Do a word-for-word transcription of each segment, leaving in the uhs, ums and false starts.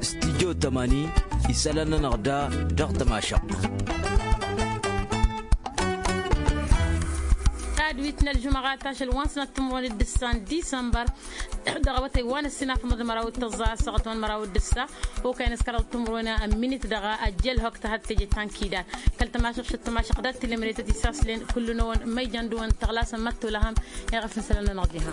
Studyo tămani isălan-nănăɣ da dăɣ-tămašăɣt. Tadwit n-ălžumăɣa tašăl wa n-sănat timǝrwen d-ǝssa n-disămbăr dăɣ-awătay wa n-ăssinafăḍ n-măraw d-tăẓẓa ăssaɣăt wa n-măraw d-ǝssa. Okăyăn s-kăraḍ timǝrwen n-minit dăɣ-ăjjălhok tăhăt teje ta n-kidar kăl-tămašăɣt šăt tămašăɣt dat-tilămre tăt-isaslen. Kullu-năwăn ma ijan dăɣ-wăn tăɣlasăn măttolăhăm. Iɣăf n-isălan-nănăɣ diha.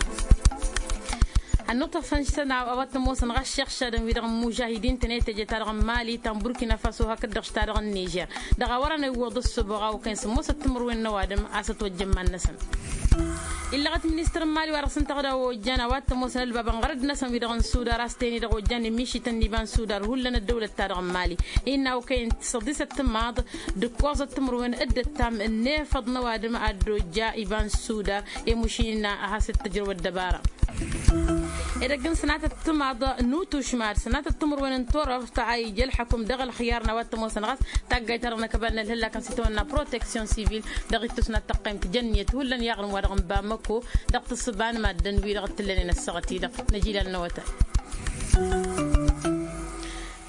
Ănnuṭṭăf n-sănaw a-wa t-ămoosăn ɣas šăɣšadăn-wi-dăɣ n-mužahidin-tăn i-teje-ta-dăɣ n-mali ta n-burkina faso hakd-dăɣ š-ta-dăɣ n-nižer. Dăɣ-a wărăn iwwăḍ ǝssǝboɣ a okăyăn sǝmmosăt timǝrwen n-ăwadǝm a-s ătwăjjăn iman-năsăn. Illăɣăt ministăr n-mali wa dăɣ-s ǝnta a ojjan a-wa t-ămoosăn ălbabăn ɣărăd-năsăn wi-dăɣ n-sudar a-s teni-dăɣ ojjan i-mišităn n-iba n-sudar hullan ăddăwlăt-ta-dăɣ n-mali. Innă a okăyăn săḍisăt timaḍ d-ǝkkoẓăt timǝrwen d-ăttam n-efăḍ n-ăwadǝm ad-dd-ojja iba n-sudar. I-mušin innă a has-dd-tǝjrăw ăddăbara. Edăgg n-sănatăt timaḍ n-utušmad sănatăt timǝrwen n-turăft a ija ălḥăkum dăɣ-ălxiyar n-a-wa t-ămoosăn ɣas taggayt-ta-dăɣ n-akăbal n-ălhǝllak n-sitawănna proteksyon sivil. Dăɣ-ittus n-ad-tăqqăyăm tijănniyăt hullan i-aɣrǝm wa dăɣ-nǝbamăko dăɣ-tǝssǝba n-maddǝn-wi-dăɣ t-tǝllănen ăssaɣăt-i-dăɣ. Năj ilan n-awătay.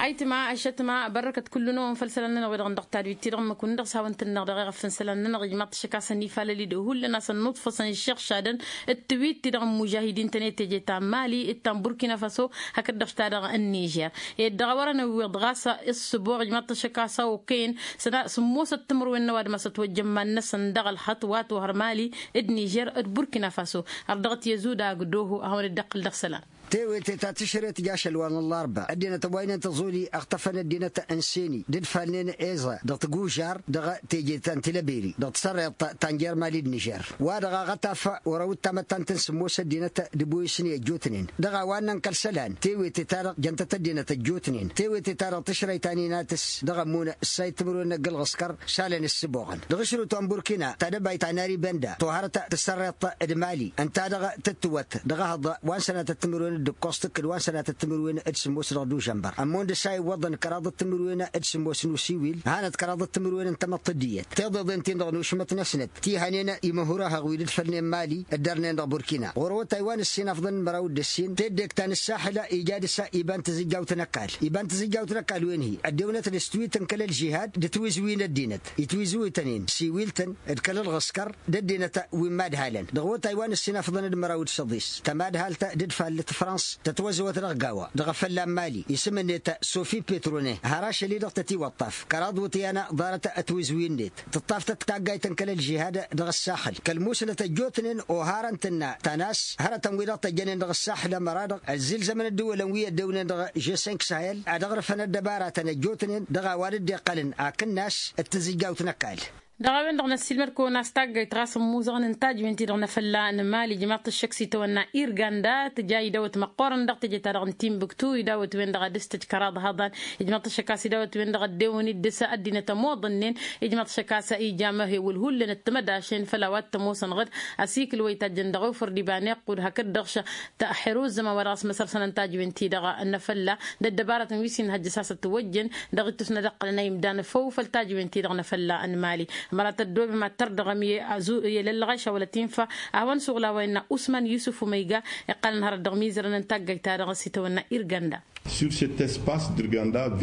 Ayǝtma ăššătma bărrăkăt kullu-năwăn făll-isălan-nănăɣ wi-dăɣ n-dăɣ-tadwit-ti-dăɣ n-măkun dăɣ-s hawăn-tǝnnăɣ dăɣ-eɣăf n-isălan-nănăɣ ijmaḍ-t ašăk a-s ănifalăl-i-dăɣ hullan a-s ănnuḍfăsăn iššăɣšadăn d-tiwit-ti-dăɣ n-mužahidin-tăn i-teje ta n-mali d-ta n-burkina faso. Hakd-dăɣ š-ta-dăɣ n-nižer ed dăɣ-a wărăn ăwwiḍ ɣas ǝssǝboɣ ijmaḍ-t ašăk a-s a okăyăn săna sǝmmosăt timǝrwen n-ăwadǝm a-s ătwăjja iman-năsăn dăɣ-ălxăṭṭ wa tohăr mali d-nižer d-burkina faso. Ărdăɣăt i-ăzudag doho a hawăn-dd-iqqǝl dăɣ-isălan. Tewete ta tǝšret jašăl wa n-ăllarba ăddinăt ăwwaynen tăẓoli ăɣtăfăn ăddinăt n-seni d-ǝdfalnen eza dăɣ-tigužar dăɣ-teje ta n-tilăberi dăɣ-tăsărreḍt ta n-jer-mali d-nižer wa dăɣ-aɣătaf. Wăr-ăwǝttam ăttan-tăn sǝmmos ăddinăt d-ăboyǝsnen ăjjootnen dăɣ-a-wa ǝnnăn kăl-isălan tewete-ta-dăɣ jăn-tăt ăddinăt ăjjootnen tewete-ta-dăɣ tǝšrăy ta n-inatǝs dăɣ-ămmun ǝssay timǝrwen n-ăgg-ălɣǝskăr šalăn ǝssǝboɣăn dăɣ-ašrǝwt wa n-burkina ta dăbayt ta n-aribenda tohărăt tǝssărreḍt d-mali ǝnta-dăɣ tǝttǝwăt dăɣ-ehăḍ wa n-sănatăt timǝrwen d-ǝkkoẓ tǝkkǝd wa n-sănatăt timǝrwen d-sǝmmos dăɣ-dužănbăr ămmun dăr-s a iwwăḍăn kăraḍăt timǝrwen d-sǝmmos n-usiwil hanăt kăraḍăt timǝrwen n-tamăḍt d-iyyăt tiḍeḍen-tin-dăɣ n-ušmăt-năsnăt ti hănen imăhurahăɣ wi dd-fălnen mali dd-ărnen dăɣ-burkina ɣur-awătay wa n-ǝssin afḍăn n-măraw d-ǝssin teddek ta n-ǝssaḥǝl ija dăr-s iba n-tǝzǝjjawt n-ăkall iba n-tǝzǝjjawt n-ăkall wen-hi ăddewnăt d-s tiwit n-kăl-ălžihad d-tiwǝzwi n-ăddinăt itwǝzwǝytăn-in siwil-tăn d-kăl-ălɣǝskăr d-ăddinăt wi n-imadhalăn dăɣ-awătay wa n-ǝssin afḍăn d-măraw d-săḍis tămadhalt d-ǝdfall tǝfrans tătwăzăwăt dăɣ-gawa dăɣ-efălla n-mali isǝm-net sofi petrone har ašăl-i-dăɣ tătiwăṭṭaf kăraḍ wǝtyan ḍarăt ătwǝzwi-net tǝṭṭaf-tăt taggayt n-kăl-ălžihad dăɣ-ăssaxǝl kăl-musnăt ăjjootnen oharăn tǝnna ta n-a-s hărătăn-wi-dăɣ tăjjănen dăɣ-ăssaxǝl ămăra-dăɣ ăzzilzămăn ǝddǝwălăn wi ăddewnen dăɣ-žesink sahel ad-ăɣrǝfăn ăddăbaratăn ăjjootnen dăɣ-a-wa dd-iqqălăn akǝnnas d-tǝzǝjjawt n-ăkall. Dăɣ-a-wen-dăɣ năssiilmăd-kăwăn a-s taggayt ɣas ămmuẓăɣăn n-tajwen-ti-dăɣ n-afălla n-mali ijmaḍ-t ăššăk s-itawănna irganda tǝja idawăt măqqoorăn dăɣ-teje-ta-dăɣ n-timbuktu idawăt-wen-dăɣ ad-dăr-s tǝj kăraḍ hăḍan. Ijmaḍ-t ăššăk a-s idawăt-wen-dăɣ ăddewăn-dd dăr-s ăddinăt ămoḍănnen ijmaḍ-t ăššăk a-s ija amăhewǝl hullan d-timădašen făll-a-wa t-ămoosăn ɣǝd asikǝl wa itajjăn dăɣ-ofăr d-iba n-iqqud hakd-dăɣ š-ta ăxxerozăma wa dăɣ-s măsărsănăn tajwen-ti-dăɣ n-afălla d-ăddăbarătăn wi s-inhăjjăs a-s ătwăjjăn dăɣ-ittus n-ad-ǝqqălăn a imdan făw făll-tajwen-ti-dăɣ n-afălla n-mali. Ămăra tăddoobem ad-tărdăɣăm i-lăllăɣeš a wăla t-infa ad-hawăn-suɣǝl a-wa innă usman yusuf umăyga iqqălăn hărăt dăɣ-imizărăn n-taggayt-ta-dăɣ s-itawănna irganda.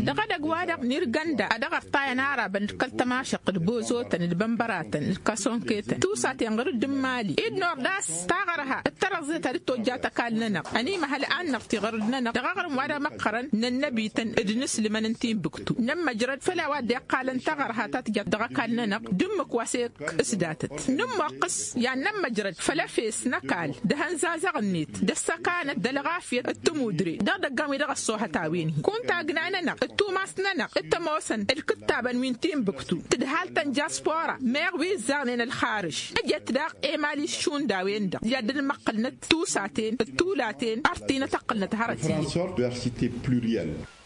Dăɣ-edăgg-wa-dăɣ n-irganda a dăɣ-ărtayăn arabăn d-kăl-tămašăɣt d-bozotăn d-bănbăratăn d-kăsonketăn tusaten ɣǝrǝd n-imali dd-nord a-s taɣărha d-tărăẓẓe ta dd-tojjat ăkall-nănăɣ ănimăhăl ad-năɣti ɣǝrǝd-nănăɣ dăɣ-aɣrǝm wa d-amăqqărăn n-ănnăbităn d-inǝslǝmăn n-tinbǝktu nămmăjrăd făll-a-wa dd-iqqalăn taɣărha ta tǝjăt dăɣ-ăkall-nănăɣ d-ǝmmǝk wa s-e-k s-datăt nǝmmoqqǝs i-ad-nămmăjrăd făll-efes n-ăkall d-ehăn zazăɣ-net d-ăssăkanăt d-ălɣafyăt d-tămudre dăɣ-idăggan wi dăɣ-ăṣṣoohăt a-wen-hi kunta agna-nănăɣ d-tumas-nănăɣ d-tămoosăn ǝlkǝttabăn wi n-tinbǝktu tǝdhal-tăn jaspora meɣ wi ǝzzaɣnen ălxarǝž ǝjăt daɣ emali s-šund a-wen-dăɣ i-ad-dd-măqqǝlnăt tusaten d-tulaten ărtinăt ăqqǝlnăt hărăt-i-dd.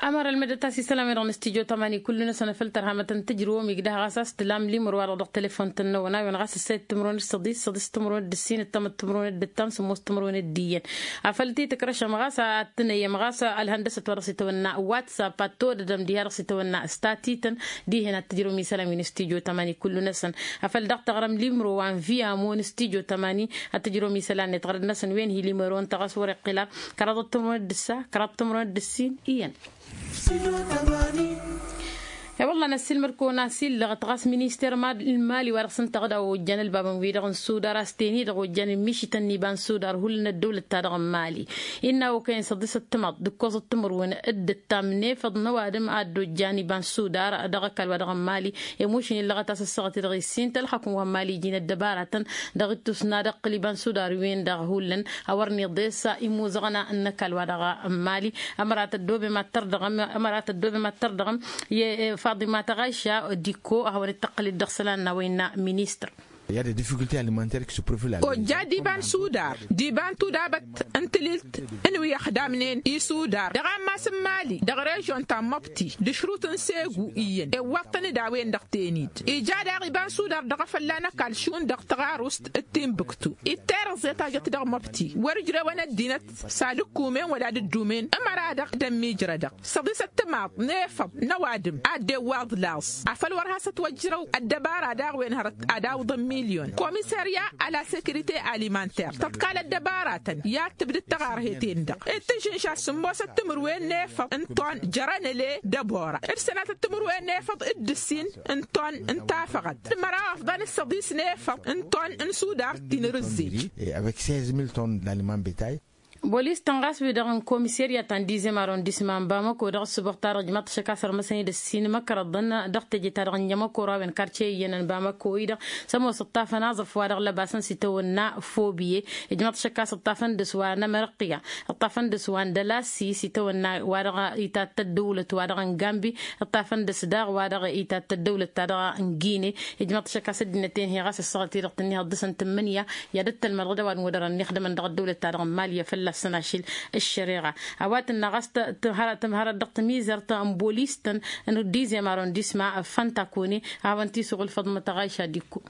Ămăra ălmădăt a-s isălam-i-dăɣ n-studyo tămani kullu-năsăn făl tărhamăt n-tǝjrǝwăm igdăh ɣas a-s tǝlam limăr-wa-dăɣ dăɣ-telefon-tăn-năwăn a-wen ɣas ǝssayăt timǝrwen d-săḍis săḍis timǝrwen d-ǝssin ǝttămăt timǝrwen d-ǝttam sǝmmos timǝrwen d-iyyăn. Afăl ti-tǝkrăšăm ɣas ad-tǝnăyăm ɣas ălhăndăsăt wa dăɣ-s itawănna whatsapp ad-todădăm diha dăɣ-s itawănna statităn. Dihen ad-tǝjrǝwăm isălam-i n-studyo tămani kullu-năsăn. Afăl daɣ tăɣrăm limăro wa n-viyamo n-studyo tămani ad-tǝjrǝwăm isălan-net ɣărăd-năsăn wen hi-limăro ǝnta ɣas wăr-iqqǝl a kăraḍăt timǝrwen d-ǝssa kăraḍăt timǝrwen d-ǝssin iyyăn. E-wălla năssiilmăd-kăwăn asillăɣăt ɣas minister n-imali wa dăɣ-s ǝnta ɣǝd a ojjan ălbabăn-wi-dăɣ n-sudar a-s ten-i-dăɣ ojjan ǝmmišităn n-iba n-sudar hullan ăddăwlăt-ta-dăɣ n-imali. Innă okăyăn săḍisăt timaḍt d-ǝkkoẓăt timǝrwen d-ǝttam n-efăḍ n-ăwadǝm a dd-ojjan iba n-sudar dăɣ-ăkall-wa-dăɣ n-imali. Emušǝn illăɣăt a-s ăssaɣăt-i-dăɣ issin tălxăkun wa n-imali iji n-ăddăbaratăn dăɣ-ittus n-ad-ăqqǝl iba n-sudar-wen-dăɣ hullan a wăr n-iḍes imuzăɣna n-ăkall-wa-dăɣ n-imali. Ămăra tăddobem ad-tărdăɣăm ămăra tăddobem ad-tărdăɣăm. I-faḍima tăɣayša dikko a hawăn-dd-tăqqǝl-dd dăɣ-isălan n-a-wa innă ministăr. Ojja d-iba n-sudar d-iba n-tudabăt n-tililt n-wi ăxdamnen isudar dăɣ-ammas n-imali dăɣ-režon ta n-măbti d-ašrut n-segu iyyăn iwwaḍ-tăn-dd a-wen-dăɣ ten-dd ija daɣ iba n-sudar dăɣ-efălla n-ăkall šund dăɣ-taɣarust d-tinbǝktu. Itterăẓe tajăt dăɣ-măbti wăr-ǝjrewăn ăddinăt s-ad-ǝkkumen wăla ad-ǝddumen ămăra-dăɣ d-ămmiijrădăɣ. Săḍisăt timaḍ n-efăḍ n-ăwadǝm ad-dd-iwwaḍ laẓ afăl wăr has-ătwăjrăw ăddăbara daɣ wen hărăt ad-awǝḍăn milyon komisărya a la sekirite alimanter tăḍkal ăddăbaratăn i-ad-tǝbdǝd tăɣarhet-en-dăɣ d-tǝžžǝnša s-sǝmmosăt timǝrwen n-efăḍ n-ton jărăn ăle d-ăbora d-sănatăt timǝrwen n-efăḍ d-ǝssin n-ton n-tafăɣăt d-măraw afḍăn d-săḍis n-efăḍ n-ton n-sudar tinărǝzzej. Avec seize mille tonnes d'aliment bétail. Bolis-tăn ɣas wi-dăɣ n-komiserya ta n-dizem arondisma n-bamako dăɣ-ǝssǝboɣ-ta-dăɣ ǝjmaḍ-t ašăk a-s ărmăsăn-dd ǝssin măkrăḍăn dăɣ-teje-ta-dăɣ n-jămăko rawăn karce iyyănăn bamako-i-dăɣ s-ămoos ǝṭṭafăn aẓrǝf-wa-dăɣ lăbasăn s-itawănna fobiye. Ǝjmaḍ-t ašăk a-s ǝṭṭafăn dăɣ-s wa n-amărăqqiya ǝṭṭafăn dăɣ-s wa n-dălasi s-itawănna wa dăɣ-itat tăddăwlăt wa dăɣ-n gambi. Ǝṭṭafăn dăɣ-s daɣ wa dăɣ-itat tăddăwlăt ta dăɣ-n gine. Ijmăḍ-t ašăk a-s ăddinăt-en-hi ɣas ăssaɣăt-i-dăɣ tǝnni hăḍḍǝsăn tǝmmǝnǝya i-ad-ăttălmăḍ ɣǝd ăwadǝm wăr-dărăn ixdămăn dăɣ-ăddăwlăt-ta-dăɣ n-mali i-fălla-săn ašil ăššăreɣa. A-wa tǝnna ɣas tǝmhărăt dăɣ-tămizărt n-bolis-tăn n-dizem arondisma făntakone a hawăn-t-isuɣǝl făḍmăt aɣayša dikko.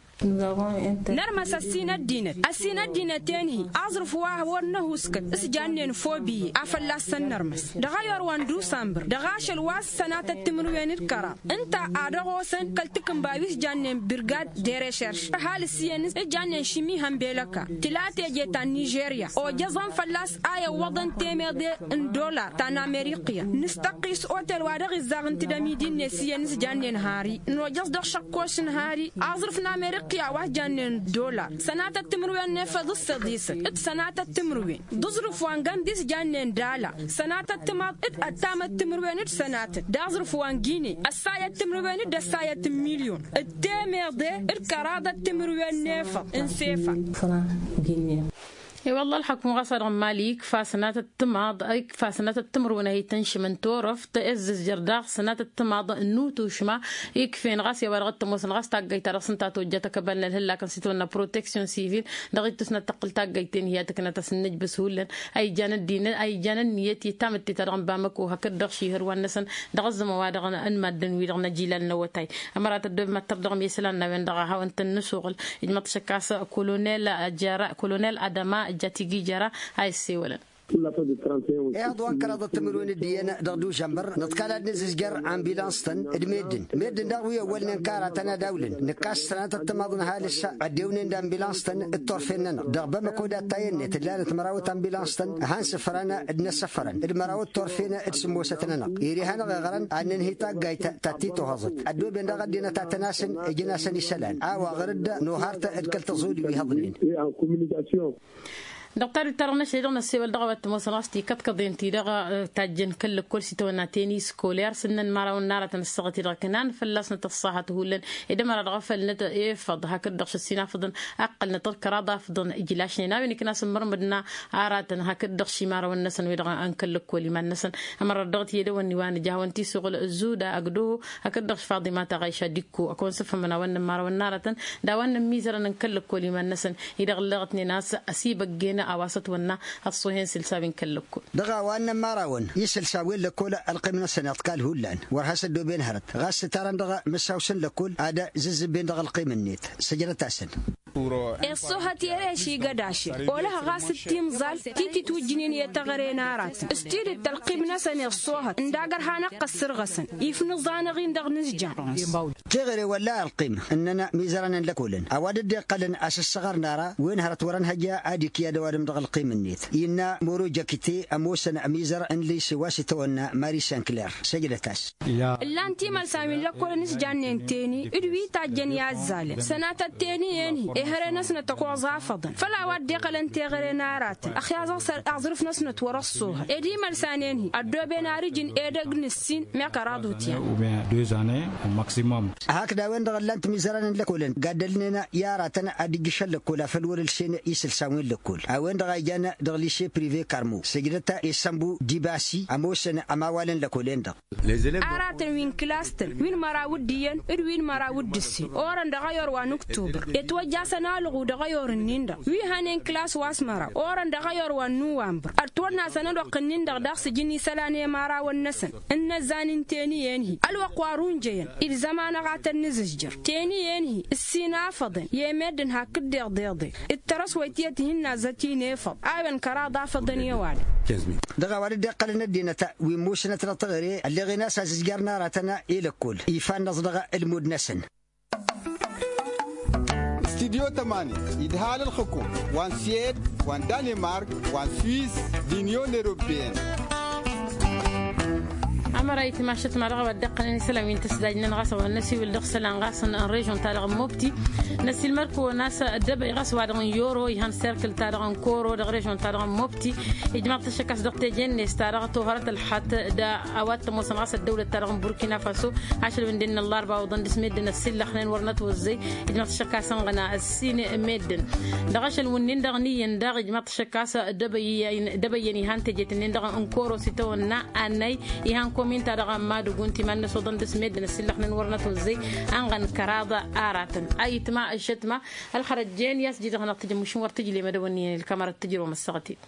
Nărmăs ăssin ăddinăt ăssin ăddinăt-en-hi aẓrǝf wa wăr năhuskăt s-jannen fobiye a fălla-săn nărmăs dăɣ-ayor wa n-dusambăr dăɣ-ašăl wa s-sănatăt timǝrwen d-kăraḍ ǝnta a dăɣ-osăn kăl-takǝnba wi s-jannen birgad de recherš ăhalǝs iyyăn s-jannen šimi hănbelăka tǝla teje ta n-nižerya ojăẓăn fălla-s a iwwăḍăn temeḍe n-dolar ta n-ameriqya nǝstăqqis otel wa dăɣ-izaɣ n-tǝdămidin-net iyyăn s-jannen hari nojăẓ dăɣ-šăkkoš n-hari aẓrǝf n-ameriqya wa s-jannen dolar sănatăt timǝrwen n-efăḍ d-săḍisăt d-sănatăt timǝrwen d-aẓrǝf wa n-gămdi s-jannen dala sănatăt timaḍ d-ăttamăt timǝrwen d-sănatăt d-aẓrǝf wa n-gine ăssayăt timǝrwen d-ăssayăt n-milyon d-temeḍe d-kăraḍăt timǝrwen n-efăḍ n-sefa. I-wălla ălxăkum ɣas a dăɣ-n mali ikfa sănatăt timaḍ ikfa sănatăt timǝrwen a hi-tăn-šimăn torăft ăzzăzjăr daɣ sănatăt timaḍ n-utušma ikfen ɣas i-a-wa dăɣ-t-ămoosăn ɣas taggayt ta dăɣ-s ǝnta a tojjat ăkăbal n-ălhǝllak n-s itwănna proteksyon sivil dăɣ-ittus n-ad-tăqqǝl taggayt-ten-hi a tǝknăt a-s n-nǝjbǝs hullan a ijan ăddinăt a ijan ănniyăt i-tamǝtte ta dăɣ-n bamăko hakd-dăɣ šihăr wa-năsăn dăɣ-ăzzăman wa dăɣ-n n-maddǝn-wi-dăɣ n-ajilal n-awătay. Ămăra tăddoobem ad-tărdăɣăm i-isălan n-a-wen-dăɣ a hawăn-tăn-nǝsuɣǝl ijmăḍ šăkkas kolonel jăra kolonel adăma jatigi jăra a issewălăn. Ehăḍ wa n-kăraḍăt timǝrwen d-iyyăn dăɣ-dužănbăr nǝḍkal ad-nǝzǝzjăr ambilans-tăn d-meddǝn meddǝn daɣ wi ăwwălnen karatăn ad-awlǝn nǝkkas sănatăt timaḍ n-ăhalǝs ăddewnen d-ambilans-tăn d-turfen-nănăɣ dăɣ-bamăko dat-tayănnet ǝllanăt mărawăt ambilans-tăn han sǝfrăn d-inăssăfărăn d-mărawăt turfen d-sǝmmosăt-nănăɣ iri hanăɣ-iɣrăn ad-nǝnhǝy taggayt ta t-itohăẓăt ăddooben daɣ ăddinăt ad-tăn-asǝn ǝjǝn-asăn isălan a-wa ɣǝr-dd nohart d-kăl-tăẓodi wi hăḍnen. Dăɣ-tadut-ta-dăɣ n-ašăl-i-dăɣ n-ăssewăl dăɣ-a-wa t-ămoosăn ɣas tikăḍkăḍen-ti-dăɣ tajjăn kăl-lăkkol s-itawănna tenis koler s-ǝnnăn imărawăn n-aratăn ăssaɣăt-i-dăɣ ǝknan fălla-s nătăṣṣahăt hullan ed ămăra dăɣ-efăl nătăfăḍ hakd-dăɣ šăssin afǝḍăn ăqqălnăt d-kăraḍ afǝḍăn ijlašnen a-wen ǝkna s-ǝmmărmǝdna aratăn hakd-dăɣ šimărawăn-năsăn wi-dăɣ n-kăl-lăkkol iman-năsăn. Ămăra dăɣ-t i-dăwănni wa nǝja a hawăn-t-isuɣǝl zuda ăgg-doho hakd-dăɣ faḍima taɣayša dikko ăkăwăn-sǝfhǝmăn a-wa ǝnnăn imărawăn n-aratăn d-a-wa ǝnnăn mizărăn n-kăl-lăkkol iman-năsăn-i-dăɣ ǝlleɣătnen a-s ăsibăggen. A-wa s-ătwănna ăṣṣuhen sǝlsa wi n-kăl-lăkkol. Dăɣ-a-wa ǝnnăn imărawăn isǝlsa wen lăkkol ălqim-năsăn iḍkal hullan wăr has-ăddooben hărăt ɣas s-ǝtarăn dăɣ-mǝssaw-săn lăkkol ad-zǝzzǝbben dăɣ-ălqim-net. Săjdăt-asăn. Iṣṣohăt i-ereši igădašel olăh ɣas d-timẓal ti titwǝjjǝnen i-teɣăre n-aratăn s-tidǝt ălqim-năsăn iṣṣohăt ǝndagăr hanăɣ-t ăssărɣăsăn ifnǝẓan ăɣ-in-dăɣ nǝzjan. Teɣăre wălla ălqim ǝnnăn mizărăn n-lăkolăn a-wa dd-iqqălăn asǝssăɣăr n-ara wen hărăt wăr-ănhăjja ad-ikyad ăwadǝm dăɣ-ălqim-net innă moro jăkite ămoosăn ămizăr n-lise wa s-itawănna mari sinkler. Săjdăt-as. Ǝllan timălsan wi n-lăkkolăn s-jannen teni d-wi tajjăn i-azzalăn sănatăt teni-en-hi ehăre-năsnăt ăkoẓ afăḍăn făll-a-wa dd-iqqălăn teɣăre n-aratăn ăxyaẓ-aɣ s-aẓrǝf-năsnăt wăr-ăṣṣohăt ed imălsan-en-hi ăddooben ar-ijǝn edăgg n-ǝssin meɣ kăraḍ utyan. Hakd a-wen-dăɣ ǝllan-t imizărăn n-lăkolăn gaddălnen i-aratăn ad-ǝjjǝšăn lăkkol afăl wăr-ǝlsen isǝlsan wi n-lăkkol a-wen-dăɣ a ijan dăɣ-lise prive karmo săjdăt i-sănbu dibasi ămoosăn ămawalăn lăkol-en-dăɣ. Aratăn wi n-kǝlas-tăn wi n-măraw d-iyyăn d-wi n-măraw d-ǝssin orăn dăɣ-ayor wa n-uktubăr. Itwăjjasăn alɣu dăɣ-ayor-nin-dăɣ wi hănen kǝlas wa s-măraw orăn dăɣ-ayor wa n-nuwambăr ătwănnasăn ălwăqq-nin-dăɣ daɣ s-ǝjǝn isălan i-imărawăn-năsăn ǝnnăzzan n-teni-en-hi ălwăqq wa runjăyăn ilzăm-anăɣ ad-tăn-nǝzǝzjăr teni-en-hi ǝssin afăḍăn i-meddǝn hakd deḍeḍe d-tărăswăyt tiyyăt ihǝnnazzăt-in efăḍ a-wen kăraḍ afăḍăn i-ăwadǝm. Dăɣ-a-wa dd-iqqălăn ăddinăt wi ǝmmusnăt dăɣ-teɣăre ălleɣen a-s azǝzjar n-aratăn i-lăkkol ifa-năẓ dăɣ-ǝlmud-năsăn. Studyo tămani idhal ǝlxǝkum wa n-siyed wa n-danemark wa n-swiss d-inyon europeyăn. Ămăra itmašăt ma dăɣ-a-wa dd-iqqălăn isălan wi n-tǝsdajnen ɣas a-wa n-năsiwǝl dăɣ-isălan ɣas n-režon-ta-dăɣ n-mobti. Năsilmăr-kăwăn a-s ăddăbăy ɣas wa-dăɣ n-yoro ihăn serkǝl-ta-dăɣ n-koro dăɣ-režon-ta-dăɣ n-mobti. Ijmaḍ-t ăššăk a-s dăɣ-teje-net ta dăɣ-tohărăt ălxat d-a-wa t-ămoosăn ɣas ăddăwlăt-ta-dăɣ n-burkina faso. Ašăl wi n-dd-innă ăllarba oḍăn dăɣ-s meddǝn ăssillăxnen wăr nătwăzzăy. Ijmaḍ-t ăššăk a-s ănɣăna ăssin meddǝn dăɣ-ašăl wǝnnin-dăɣ n-iyyăn daɣ ijmaḍ-t ăššăk a-s ăddăbăy. Dăbăyyăn ihăn teje-t-nin-dăɣ n-koro s-itawănna annay ihăn komin-ta-dăɣ n-madǝgun timan-năs oḍăn dăɣ-s meddǝn ăssillăxnen wăr nătwăzzăy. Ănɣăn kăraḍ aratăn a itma ăššătma ălxărăjjen i-a-s jidăɣ-năɣ tǝjǝm mašin wăr tǝjlem ad-ăwănniyăn ǝlkămărăt tǝjrǝwăm ăssaɣăt-in.